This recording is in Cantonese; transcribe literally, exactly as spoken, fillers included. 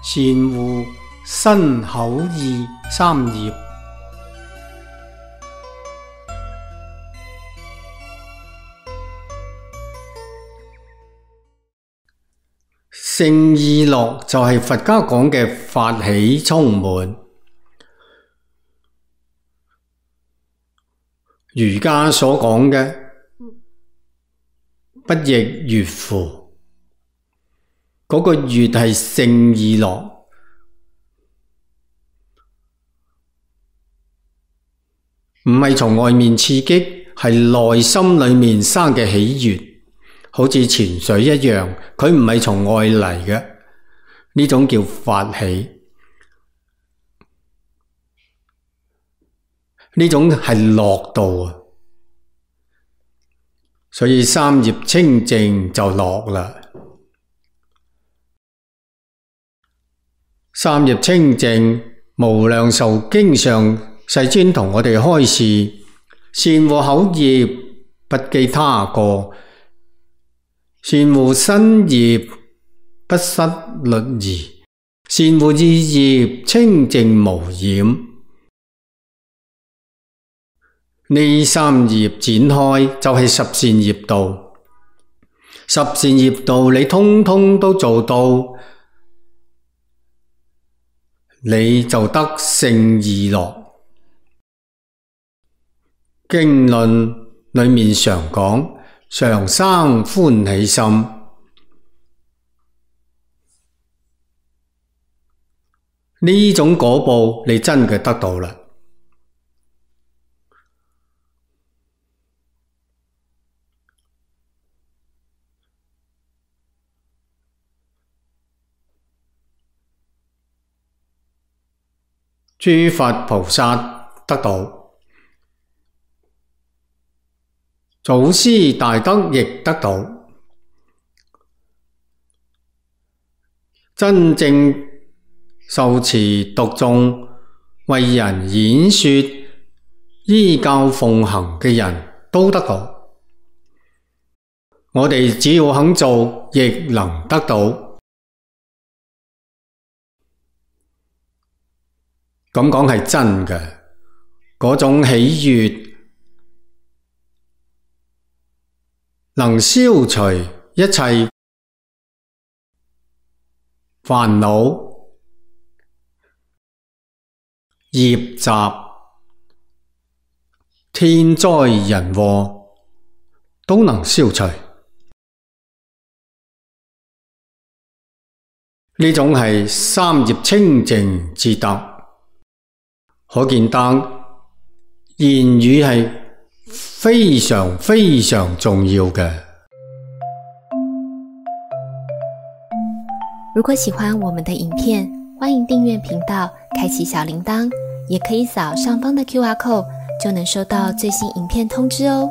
善護身口意三業。勝意樂就係佛家講嘅法喜充滿。儒家所講嘅不亦悅乎，嗰個悅係勝意樂，唔係從外面刺激，係內心裏面生嘅喜悅，好似泉水一樣，佢唔係從外嚟嘅，呢種叫法喜。呢種係樂道啊，所以三業清淨就樂啦。三業清淨，無量壽經上世尊同我哋開示：善護口業，不譏他過；善護身業，不失律儀；善護意業，清淨無染。呢三業展開就係十善業道，十善業道你通通都做到，你就得勝意樂。經論裏面常講，常生歡喜心，呢種果報你真嘅得到啦。諸佛菩薩得到，祖師大德亦得到，真正受持讀誦、為人演說、依教奉行嘅人都得到。我哋只要肯做，亦能得到。咁講係真嘅，嗰種喜悅能消除一切煩惱、業習、天災人禍都能消除。呢種係三業清淨之德。可見得言語係非常非常重要嘅。如果喜歡我們的影片，歡迎訂閱頻道，開啟小鈴鐺，也可以掃上方的 Q R code，就能收到最新影片通知哦。